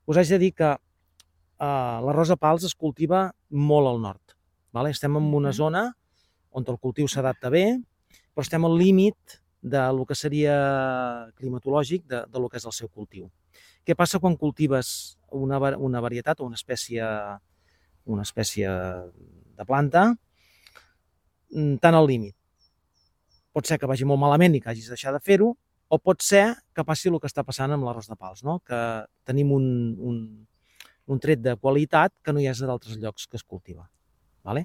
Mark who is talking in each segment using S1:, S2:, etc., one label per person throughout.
S1: Us haig de dir que l'arròs de pals es cultiva molt al nord. Estem en una zona on el cultiu s'adapta bé, però estem al límit del que seria climatològic del que és el seu cultiu. Què passa quan cultives una varietat o una espècie de planta tan al límit? Pot ser que vagi molt malament i que hagis de deixar de fer-ho, o pot ser que passi el que està passant amb l'arròs de pals, no? Que tenim un tret de qualitat que no hi ha d'altres llocs que es cultiva. Vale?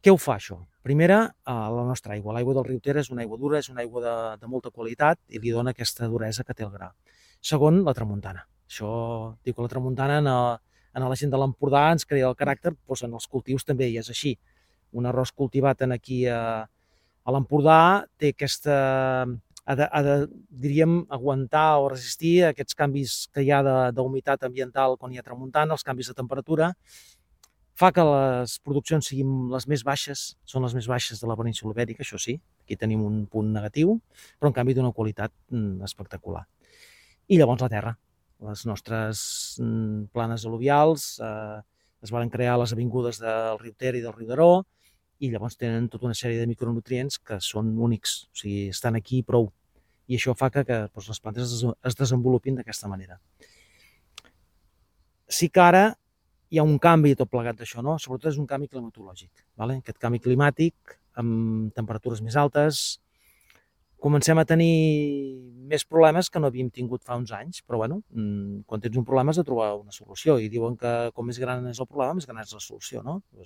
S1: Què ho fa, això? Primera, la nostra aigua. L'aigua del riu Ter és una aigua dura, és una aigua de molta qualitat i li dona aquesta duresa que té el gra. Segon, la tramuntana. Això, diu que la tramuntana en la gent de l'Empordà ens crea el caràcter, doncs en els cultius també hi és així. Un arròs cultivat aquí a l'Empordà té aquesta... diríem, aguantar o resistir aquests canvis que hi ha d'humitat ambiental quan hi ha tramuntana, els canvis de temperatura, fa que les produccions siguin les més baixes, són les més baixes de la península Ibèrica, això sí, aquí tenim un punt negatiu, però en canvi d'una qualitat espectacular. I llavors la terra, les nostres planes al·luvials es van crear a les avingudes del riu Ter i del riu Daró, i llavors tenen tota una sèrie de micronutrients que són únics, o sigui, estan aquí prou, i això fa que les plantes es desenvolupin d'aquesta manera. Sí que ara hi ha un canvi tot plegat d'això, no? Sobretot és un canvi climatològic. Aquest canvi climàtic, amb temperatures més altes, comencem a tenir més problemes que no havíem tingut fa uns anys, però bueno, quan tens un problema has de trobar una solució, i diuen que com més gran és el problema, més gran és la solució, no?